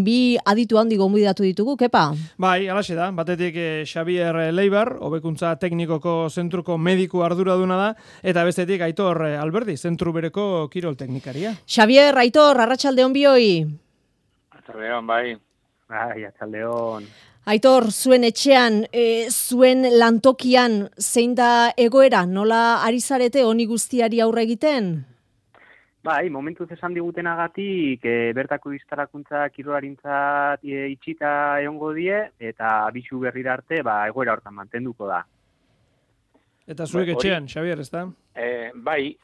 bi aditu handi gonbidatu ditugu, Kepa? Bai, alaxe da, batetik Xabier Leibar, hobekuntza teknikoko zentruko mediku arduraduna da, eta bestetik Aitor Alberdi, zentru bereko kirol teknikaria. Xabier, Aitor, arratsaldeon bioi. Arratsaldeon, bai. Bai, arratsaldeon. Aitor, zuen etxean, zuen lantokian, zein da egoera? Nola ari zarete honi guztiari aurre egiten? Bai, momentuz esan digutenagatik bertako instalakuntza kirolarintzat itxita egongo die eta abisu berrira arte egoera hortan mantenduko da. Eta zuek etxean, Xabier, ezta? Bai,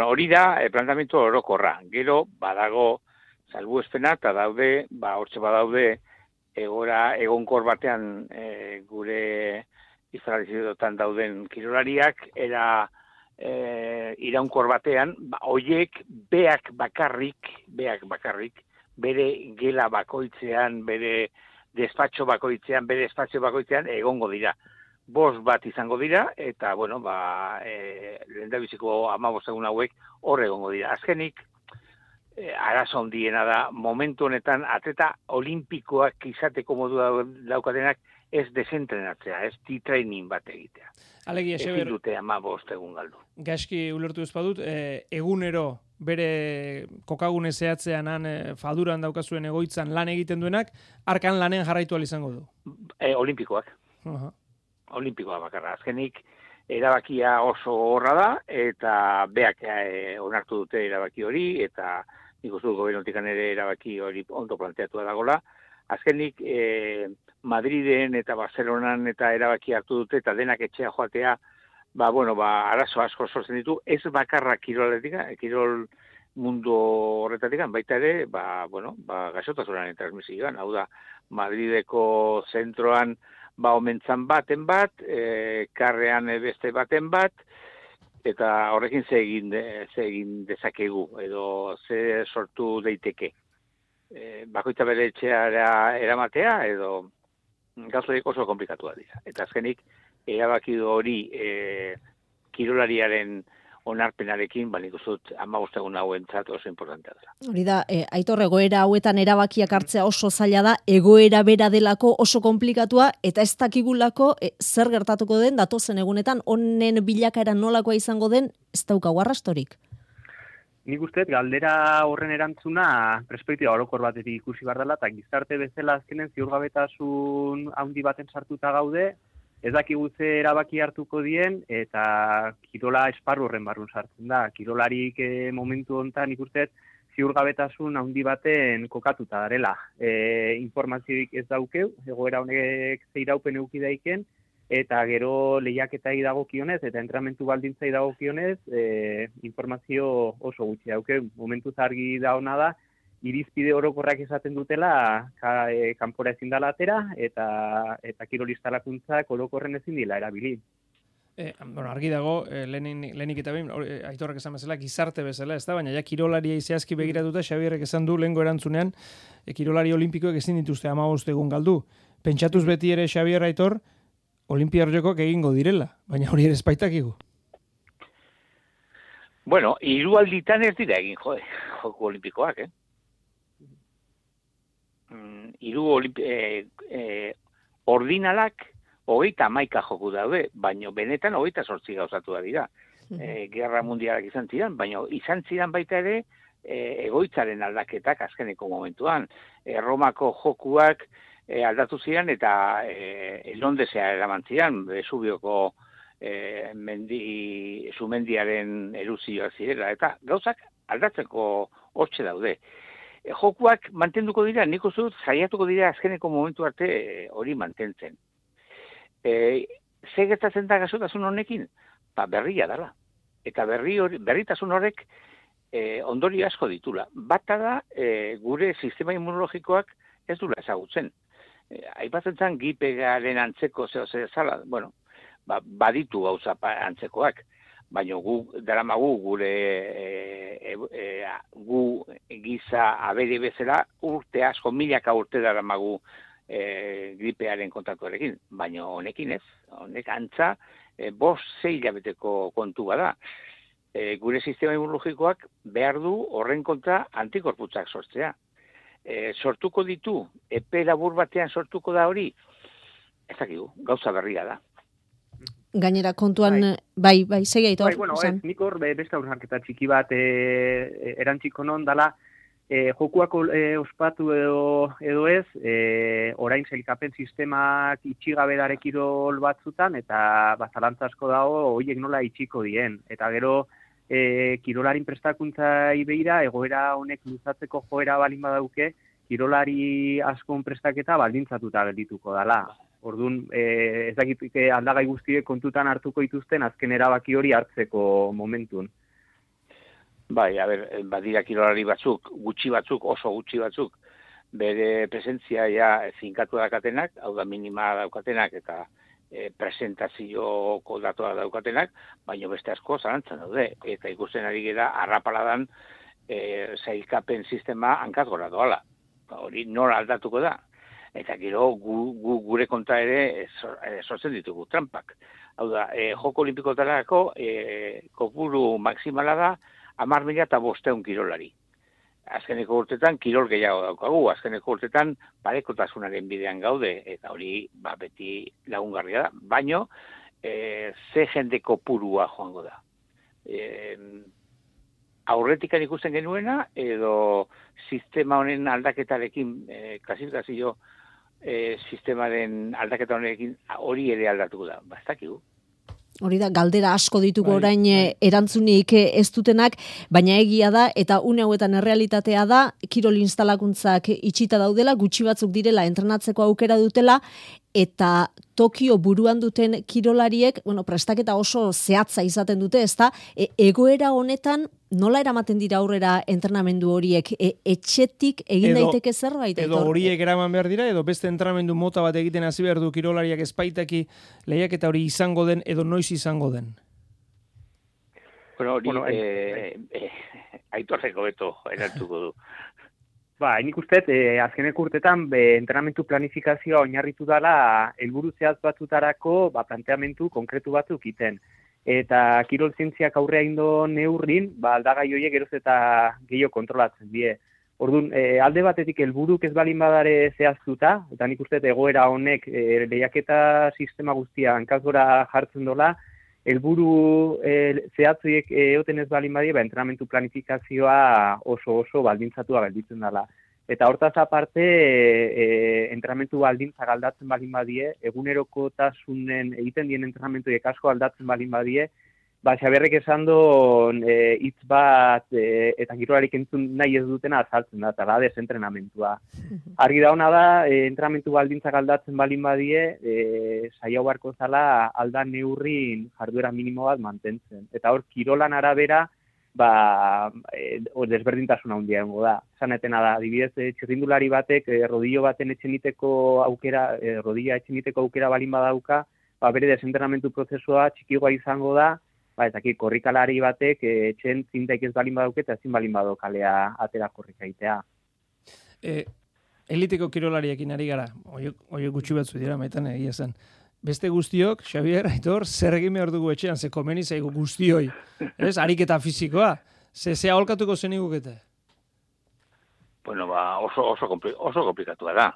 hori da plantamendu orokorra. Gero badago salbuespena eta daude, hortxe badaude egoera egonkor batean gure instalazioetan dauden kirolariak iraunkor batean, hoiek beak bakarrik, bere gela bakoitzean, bere despatxo bakoitzean, bere espazio bakoitzean egongo dira. 5 bat izango dira, eta, lehendabiziko 15 egun hauek hor egongo dira. Azkenik, arazo handiena da, momentu honetan, atleta olimpikoak izateko modu daukatenak ez desentrenatzea, ez training bat egitea. Alegia, Xabier, ezin dute 15 egun galdu. Gaizki ulertu ez badut, egunero bere kokagune zehatzean faduran daukazuen egoitzan lan egiten duenak, arkan lanen jarraitu izango du. Olimpikoak. Olimpikoa bakarra. Azkenik, erabakia oso horra da, eta beak onartu dute erabaki hori, eta nik uste dut gobernotik ere erabaki hori ondo planteatua dagoela. Azkenik, Madriden eta Barcelonan eta erabaki hartu dute, eta denak etxea joatea, arazo asko sortzen ditu, ez bakarra kirol mundu horretatik, baita ere, gaixotasunaren transmisioan, hau da, Madrideko zentroan, omentzan baten bat, karrean beste baten bat, eta horrekin ze egin dezakegu, edo ze sortu daiteke. Bakoitza bere etxeara eramatea, edo gauzoiek oso komplikatua dira. Eta azkenik, erabaki hori kirolariaren onarpenarekin, nik uste dut 15 egun hauentzat oso importantea dela. Hori da, Aitor, egoera hauetan erabakiak hartzea oso zaila da, egoera bera delako oso komplikatua, eta ez dakigulako zer gertatuko den, datozen egunetan, honen bilakaera nolakoa izango den, ez daukagu arrastorik. Nik uste, galdera horren erantzuna perspektiba orokor batetik ikusi behar dela, eta gizarte bezala azkenen ziurgabetasun handi baten sartuta gaude, ez dakigu ze erabaki hartuko dien, eta kirola esparru horren barrun sartzen da. Kirolarik momentu honetan ikusten ziurgabetasun handi baten kokatuta darela. Informazioik ez daukeu, egoera honek zeiraupen euki daiken, eta gero lehiaketai dagokionez, eta entrenamentu baldintzai dagokionez, informazio oso gutxi daukeu. Momentuz argi da ona da, irizpide orokorrak esaten dutela kanpora ezin dela atera eta kirol instalakuntzak orokorren ezin dela erabili. Argi dago, lehenik eta behin, Aitorrak esan bezala, gizarte bezala, ez da, baina ja kirolaria zehazki begiratuta, Xabierrek esan du lehengo erantzunean, kirolari olimpikoek ezin dituzte 15 egun galdu. Pentsatuz beti ere, Xabier, Aitor, Olimpia Jokoak egingo direla, baina hori ere espaitakigu. Hiru alditan ez dira egin joku olimpikoak, ordinalak 31 joku daude, baina benetan 28 gauzatu da dira. Gerra mundialak izan ziren, baina izan ziren baita ere egoitzaren aldaketak azkeneko momentuan. Romako jokuak aldatu ziren eta Londesea eraman ziren, Vesuvioko sumendiaren eruzioak zirela, eta gauzak aldatzeko hortxe daude. Jokuak mantenduko dira, nik uste dut saiatuko dira azkeneko momentu arte hori mantentzen. Ze gertatzen da gaixotasun honekin? Berria dela. Eta berritasun horrek ondorio asko ditula. Bata da, gure sistema immunologikoak ez dula ezagutzen. Aipatzen zen gipegaren antzeko zela, baditu gauza antzekoak. Baina daramagu gure gu giza abere bezala urte asko, milaka urte daramagu gripearen kontatuarekin. Baina honekin ez, honek antza 5-6 hilabeteko kontu bada. Gure sistema immunologikoak behar du horren kontra antikorputzak sortzea. sortuko ditu, epe labur batean sortuko da hori, ez dakigu, gauza berria da. Gainera kontuan, bai, segi Aitor. Bai, bueno, nik hor beste hausnarketa txiki bat erantziko non dala, jokuak ospatu edo ez, orain sailkapen sistemak itxigabe dare kirol batzutan, eta zalantza asko dago horiek nola itxiko dien. Eta gero, kirolarin prestakuntzai beira, egoera honek luzatzeko joera balin badauke, kirolari askon prestaketa baldintzatuta geldituko dala. Orduan, ez dakit aldagai guztiek kontutan hartuko dituzten azken erabaki hori hartzeko momentun. Bai, badira kirolari batzuk, oso gutxi batzuk, bere presentzia ja finkatu dakatenak, hau da minima daukatenak eta presentazioko datoa daukatenak, baina beste asko zalantzan daude, eta ikusten ari gara arrapaladan sailkapen sistema hankazgora doala. Hori nola aldatuko da. Eta gero gure kontra ere sortzen ditugu trampak. Hau da, joko olimpikotarako kopuru maksimala da 10.500 kirolari. Azkeneko urtetan kirol gehiago daukagu, azkeneko urtetan parekotasunaren bidean gaude, eta hori beti lagungarria da. Baino, ze jende kopurua joango da. Aurretikan ikusten genuena, edo sistema honen aldaketarekin, klasifikazio sistemaren aldaketa honekin hori ere aldatuko da. Ez dakigu. Hori da, galdera asko ditugu orain erantzunik ez dutenak, baina egia da, eta une hauetan errealitatea da, kirol instalakuntzak itxita daudela, gutxi batzuk direla entrenatzeko aukera dutela, eta Tokio buruan duten kirolariek, prestaketa oso zehatza izaten dute, ezta? Egoera honetan nola eramaten dira aurrera entrenamendu horiek? Etxetik egin daiteke zerbait? Edo horiek eraman behar dira, edo beste entrenamendu mota bat egiten hasi behar du kirolariak espaitaki lehiaketa hori izango den, edo noiz izango den? Bueno, hori Aitorreko beto erantuko du. Nik uste, azkeneko urtetan entrenamentu planifikazioa oinarritu dela helburu zehatz batzutarako planteamentu konkretu batzuk iten. Eta kirol zientziak aurrea indo neurrin, aldagai horiek geroz eta gehiago kontrolatzen die. Orduan, alde batetik helburuk ez balin badare zehaztuta, eta nik uste egoera honek lehiaketa sistema guztia hankazgora jartzen dola, helburu zehatzuiek egoten ez balin badie, entrenamentu planifikazioa oso baldintzatua gelditzen dela. Eta hortaz aparte, entrenamentu baldintzak aldatzen balin badie, egunerokotasunen egiten dien entrenamentuek asko aldatzen balin badie, Xaberrek esan duen hitz bat eta kirolarik entzun nahi ez dutena azaltzen da, eta da desentrenamentua. Argi da hona da, entrenamentu baldintzak aldatzen balin badie, saia barko zala alda neurrin jarduera minimo bat mantentzen. Eta hor, kirolan arabera, desberdintasuna handia egongo da. Zanetena da, adibidez, txirrindulari batek, rodillo baten rodilla etxeniteko aukera balin badauka, bere desentrenamentu prozesua txikigoa izango da, eta korrikalari batek etxen zintaik ez balin badauke eta ezin balin bado kalea atera korrika egitea. Eliteko kirolariekin ari gara, oie gutxi batzu dira, maitan egia zen. Beste guztiok, Xabier, Aitor, zer egin behar dugu etxean, ze komeni zaigu guztioi. Ariketa fizikoa, ze aholkatuko zen igukete? Bueno, oso komplikatua da,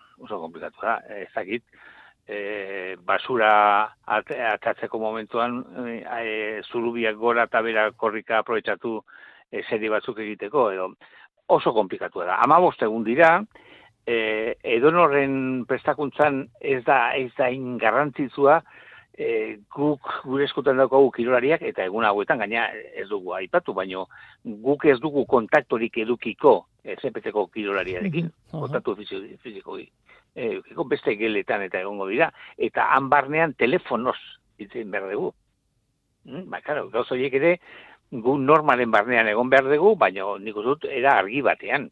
ez dakit. Basura atatzeko momentuan zurubiak gora eta bera korrika aprobetxatu serie batzuk egiteko, edo oso komplikatua da. 15 egun dira, edonorren prestakuntzan ez da garrantzitsua, guk gure eskutan daukagu kirolariak, eta egun hauetan gaina ez dugu aipatu, baino guk ez dugu kontaktorik edukiko ZPT-ko kirolariarekin, kontaktu fizikoki. Beste geletan eta egongo dira, eta han barnean telefonoz itzen behar dugu. Gauz horiek ere, gu normalen barnean egon behar dugu, baina nik dut era argi batean.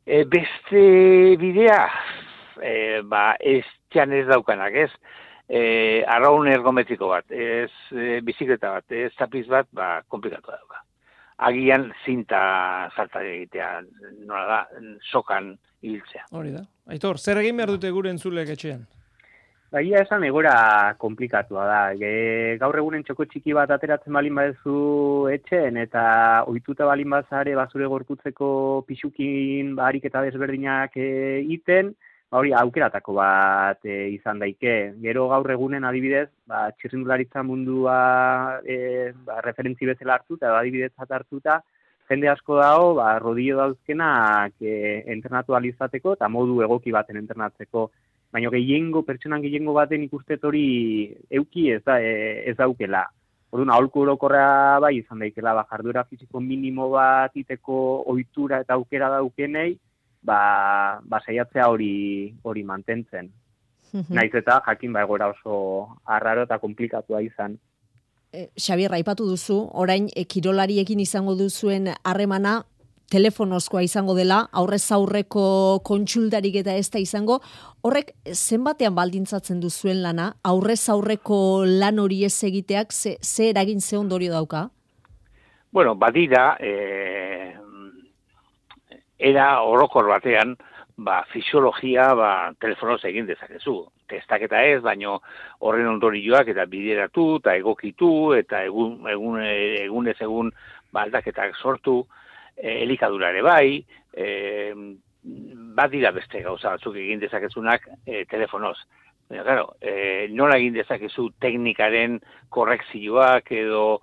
Beste bidea, ez txan ez daukanak, ez? Arraun ergometriko bat, ez bizikleta bat, ez tapiz bat, komplikatu dauka. Agian zinta salta egitea, nola da, sokan hiltzea. Hori da. Aitor, zer egin behar dute gure entzulek etxean? Baina esan egora komplikatua da. Gaur egunen txoko txiki bat ateratzen balin badezu etxen eta ohituta balin bazare bazure gorputzeko pixukin harik eta desberdinak iten, hori aukeratako bat izan daike. Gero gaur egunen adibidez, txirrindularitza mundua referentzi bezala hartuta, adibidetzat hartuta, jende asko dago, rodillo dauzkenak entrenatu alizateko eta modu egoki baten entrenatzeko. Baina pertsonan gehiengo baten ikustet hori euki ez daukela. Orduan, aholku orokorra bai izan daikela, jarduera fisiko minimo bat iteko ohitura eta aukera daukenei, saiatzea hori mantentzen. Naiz eta jakin egoera oso arraro eta komplikatua izan. Xabier, aipatu duzu, orain kirolariekin izango duzuen harremana telefonozkoa izango dela, aurrez aurreko kontsultarik eta ez da izango. Horrek zenbatean baldintzatzen duzuen lana, aurrez aurreko lan hori ez egiteak, ze eragin ze ondorio dauka? Bueno, badira, era orokor batean, fisiologia telefonoz egin dezakezu. Testaketa ez, baino horren ondorioak eta bideratu, eta egokitu, eta egunez egun aldaketak sortu, elikadura ere bai, badira beste gauza batzuk egin dezakezunak telefonoz. Baina, claro, nola egin dezakezu teknikaren korrekzioak edo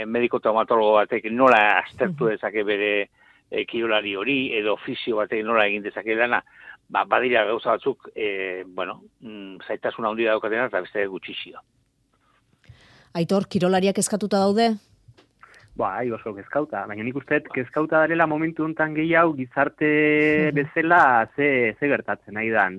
mediko traumatologo batek nola aztertu dezake bere kirolari hori edo fisio batek nola egin dezake lana, badira gauza batzuk, zaitasun handia daukatena eta beste gutxixio. Aitor, kirolariak eskatuta daude? Oso kezkauta, baina nik uste kezkauta darela momentu honetan gehiago gizarte bezala ze gertatzen nahi dan.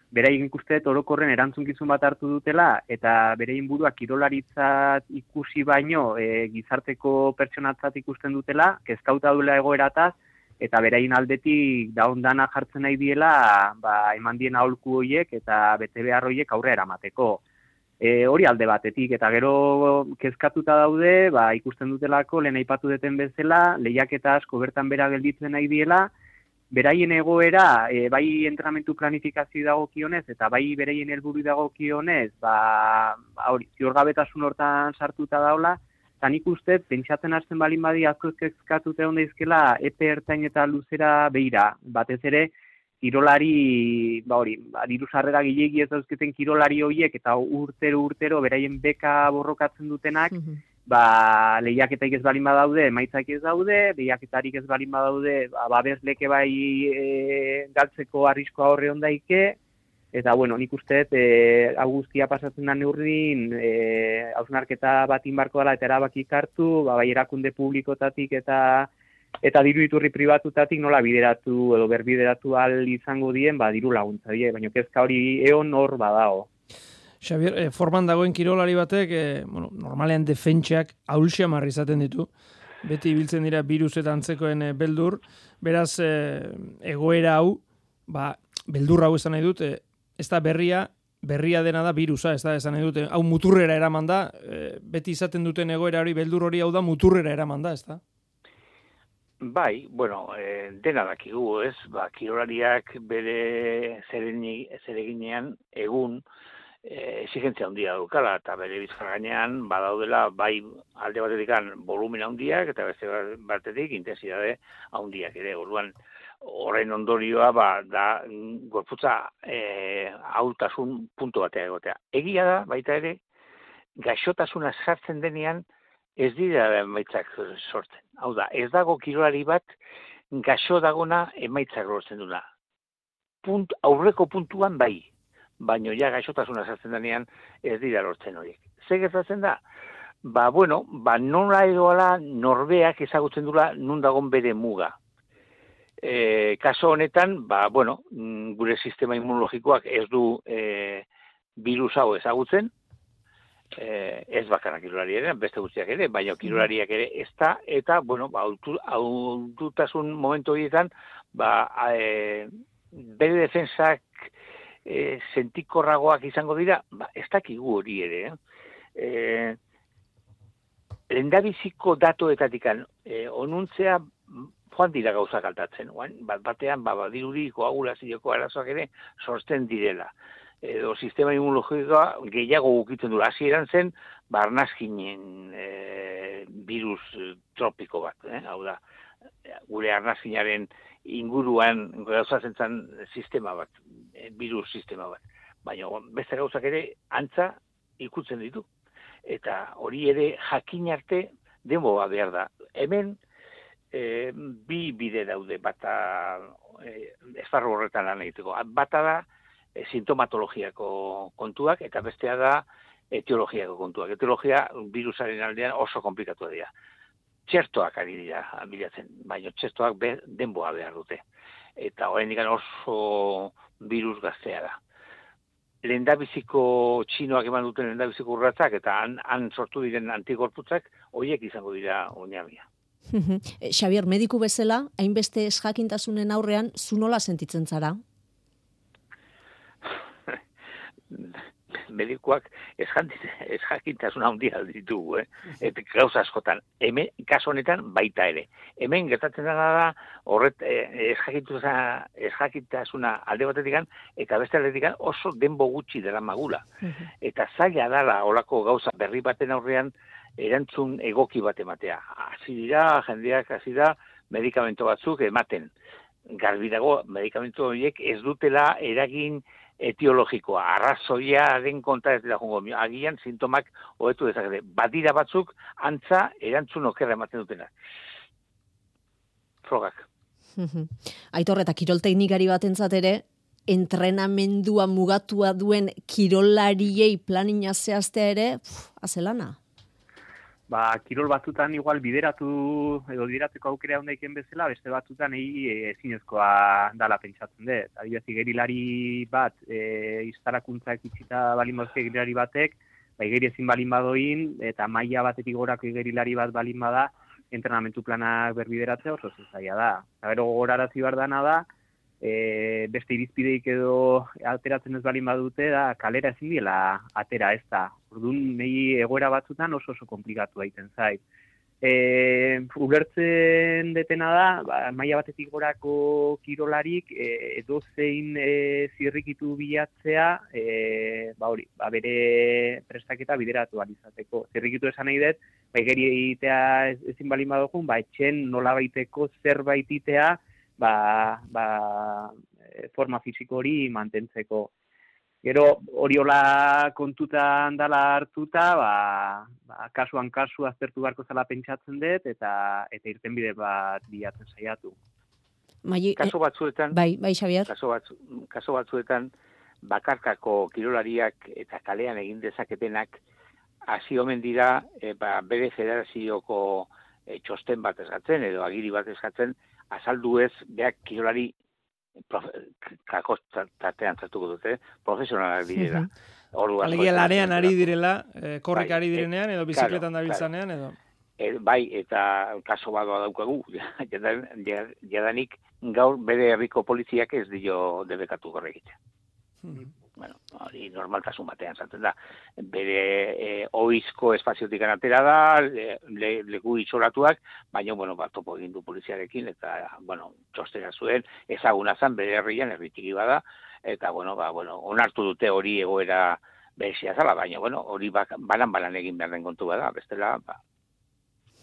Beraien ikustet orokorren erantzunkizun bat hartu dutela eta berein burua kirolaritzat ikusi baino gizarteko pertsonatzat ikusten dutela, kezkauta duela egoerataz eta beraien aldetik dana jartzen nahi diela eman dien aholku horiek eta bete behar horiek aurrera eramateko. Hori alde batetik, eta gero kezkatuta daude, ikusten dutelako, lehen aipatu deten bezala, lehiaketa asko bertan bera gelditzen nahi diela, beraien egoera, bai entrenamentu planifikazio dagokionez, eta bai beraien helburu dagokionez, ziurgabetasun hortan sartuta daula, eta nik uste, pentsatzen hasten balin badi asko kezkatuta egon daizkela, epe ertain eta luzera behira, batez ere, kirolari, diru sarrera gilegi ez dauzketen kirolari horiek eta urtero beraien beka borrokatzen dutenak, lehiaketaik ez balin badaude, emaitzak ez daude, lehiaketarik ez balin badaude, babesleke bai galtzeko arriskoa horre ondaike, eta nik uste, hau guztia pasatzen da neurrin, hausnarketa bat inbarko dela eta erabakik hartu, bai erakunde publikotatik eta diru iturri pribatutatik nola bideratu edo berbideratu ahal izango dien, diru laguntza die, baina kezka hori eon hor badao. Xabier, forman dagoen kirolari batek, normalean defentsiak ahulxiamarri izaten ditu, beti ibiltzen dira birus eta antzekoen beldur, beraz, egoera hau, beldur hau esan nahi dut, ez da berria dena da virusa, ez da esan nahi dut, hau muturrera eraman da, beti izaten duten egoera hori, beldur hori hau da muturrera eraman da, ez da? Bai, dena dakigu, ez? Kirolariak bere zereginean egun exigentzia handia daukala, eta bere bizkar gainean badaudela, bai alde batetik volumen handiak, eta beste batetik intensitate handiak ere. Orduan, horren ondorioa da gorputza ahultasun puntu batea egotea. Egia da, baita ere, gaixotasuna sartzen denean, ez dira emaitzak sortzen. Hau da, ez dago kirolari bat gaixo dagona emaitzak lortzen duna. Aurreko puntuan bai, baino ja gaixotasuna sartzen denean ez dira lortzen horiek. Zer gertatzen da? Nola edoala norbeak ezagutzen dula nun dagon bere muga. Kaso honetan, gure sistema immunologikoak ez du virus hau ezagutzen, ez bakarrak kirolariaren, beste guztiak ere, baina kirolariak ere ez da, eta, haututasun momentu horietan, bere defensak sentikorragoak izango dira, ez dakigu hori ere. Lehendabiziko datoetatik onuntzea joan dira gauzak altatzen. Batean, dirudi koagulazioko arazoak ere sortzen direla. edo sistema immunologikoa gehiago ukitzen du. Hasieran zen, arnazkinen virus tropiko bat, hau da, gure arnazkinaren inguruan gauzatzen zen sistema bat, virus sistema bat. Baina beste gauzak ere antza ikutzen ditu. Eta hori ere jakin arte denboa behar da. Hemen bi bide daude, bata esparru horretan lan egiteko. Bata da sintomatologiako kontuak eta bestea da etiologiako kontuak. Etiologia virusaren aldean oso komplikatua dira. Txertoak ari dira bilatzen, baina txertoak denboa behar dute. Eta oraindik oso virus gaztea da. Lehendabiziko txinoak eman duten lehendabiziko urratzak eta han sortu diren antikorputzak horiek izango dira oinarria. Xabier, mediku bezala, hainbeste esjakintasunen aurrean, zu nola sentitzen zara? Medikuak esjakintasun handia ditugu, eta gauza askotan. Hemen, kasu honetan, baita ere. Hemen gertatzen da horret esjakintasuna alde batetik eta beste aldetik oso denbo gutxi dela magula. Eta zaila dala olako gauza berri baten aurrean erantzun egoki bat ematea. Jendeak hasi da medikamento batzuk ematen. Garbi dago, medikamento horiek ez dutela eragin etiologikoa, arrazoiaren kontra ez dira jongo. Agian sintomak hobetu dezakete. Badira batzuk antza erantzun okerra ematen dutena. Frogak. Aitor, eta kirol teknikari batentzat ere, entrenamendua mugatua duen kirolariei planina zehaztea ere, azelana? Kirol batzutan igual bideratzeko aukera ondaiken bezala, beste batzutan ezinezkoa dala pentsatzen dut. Adibidez, igerilari bat, instalakuntzak itxita balin baduzke igerilari batek, igeri ezin balin badoin, eta maila batetik gorako igerilari bat balin bada, entrenamentu planak berbideratzea oso zaila da. Eta gero gogorarazi behar dana da, beste irizpideik edo ateratzen ez balin badute, da kalera ezin diela atera ez da. Orduan, nahi egoera batzutan oso komplikatu egiten zait. Ulertzen detena da, maila batetik gorako kirolarik edozein zirrikitu bilatzea, bere prestaketa bideratu izateko. Zirrikitu esan nahi dut, igeri egitea ezin balin badogun, etxen nola baiteko zerbait itea, forma fisiko hori mantentzeko. Gero hori hola kontutan dala hartuta, kasuan kasu aztertu beharko zela pentsatzen dut, eta irtenbide bat bilatzen saiatu. Kasu batzuetan, bai, Xabier. Kasu batzuetan, bakarkako kirolariak eta kalean egin dezaketenak hasi omen dira bere federazioko txosten bat eskatzen edo agiri bat eskatzen, azaldu ez beak kirolari kakostatean zartuko dute, profesionalak direla. Alegia lanean ari direla, korrika ari direnean, edo bizikletan dabiltzanean, edo? Bai, eta kaso badoa daukagu, jadanik gaur bere herriko poliziak ez dio debekatu gorregitea. Bueno, hori normaltasun batean zaten da. Bere oizko espaziotik atera da, leku itxoratuak, baina, topo egin du poliziarekin, eta, txostera zuen, ezaguna zan bere herrian, herritiki bada, eta, onartu dute hori egoera berezia zala, baina, hori banan egin behar den kontu bada, bestela,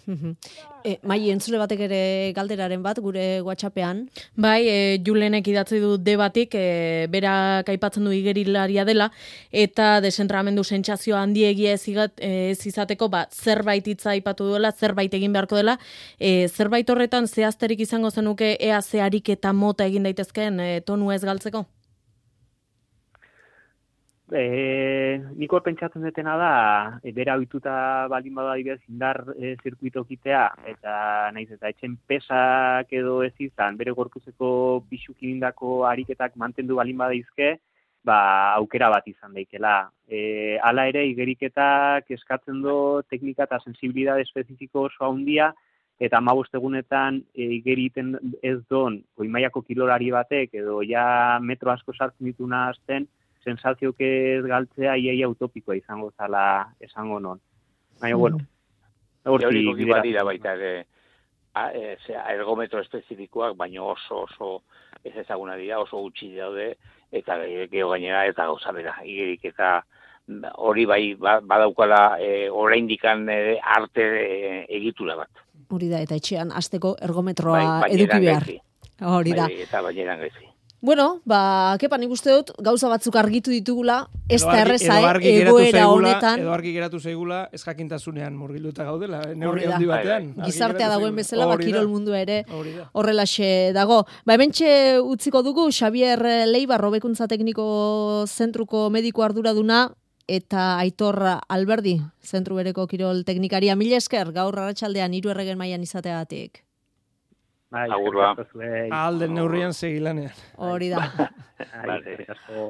Mai, entzule batek ere galderaren bat, gure WhatsAppean. Bai, Julenek idatzi du debatik, berak aipatzen du igerilaria dela, eta desentrenamendu sentsazio handiegia ez izateko, zerbait hitza aipatu duela, zerbait egin beharko dela, zerbait horretan zehazterik izango zenuke ea zeharik eta mota egin daitezkeen tonu ez galtzeko? Nik hor pentsatzen detena da, bera ohituta balin bada adibidez indar zirkuitokitea, eta naiz eta etxen pesak edo ez izan, bere gorpuzeko pixukindako ariketak mantendu balin badaizke, aukera bat izan daikela. Hala ere, igeriketak eskatzen du teknika eta sensibilidade espezifiko oso handia, eta 15 egunetan igeriten ez don, goimaiako kirolari batek, edo ja metro asko sartzen dituna azten, sensazioak ez galtzea iaia utopikoa izango zala esango non. Baina, teorikoki badira baita ere ergometro espezifikoak, baina oso ez ezaguna dira, oso gutxi daude, eta geho gainera eta gauza bera, igerik eta hori bai badaukala oraindikan arte egitura bat. Hori da, eta etxean hasteko ergometroa eduki behar. Hori da. Eta baineran gaizki. Bueno, Kepa, nik uste dut, gauza batzuk argitu ditugula, ez da erreza, egoera honetan. Edo argi geratu zaigula, ez jakintasunean murgiluta gaudela, neurri handi batean. Gizartea dagoen bezala, kirol mundua ere horrelaxe dago. Hementxe utziko dugu, Xabier Leibar, hobekuntza tekniko zentruko mediko arduraduna, eta Aitor Alberdi, zentru bereko kirol teknikaria. Mila esker, gaur arratsaldean 3 erregen mailan izateagatik. Agur ba. Alden neurrian segilanean. Hori da.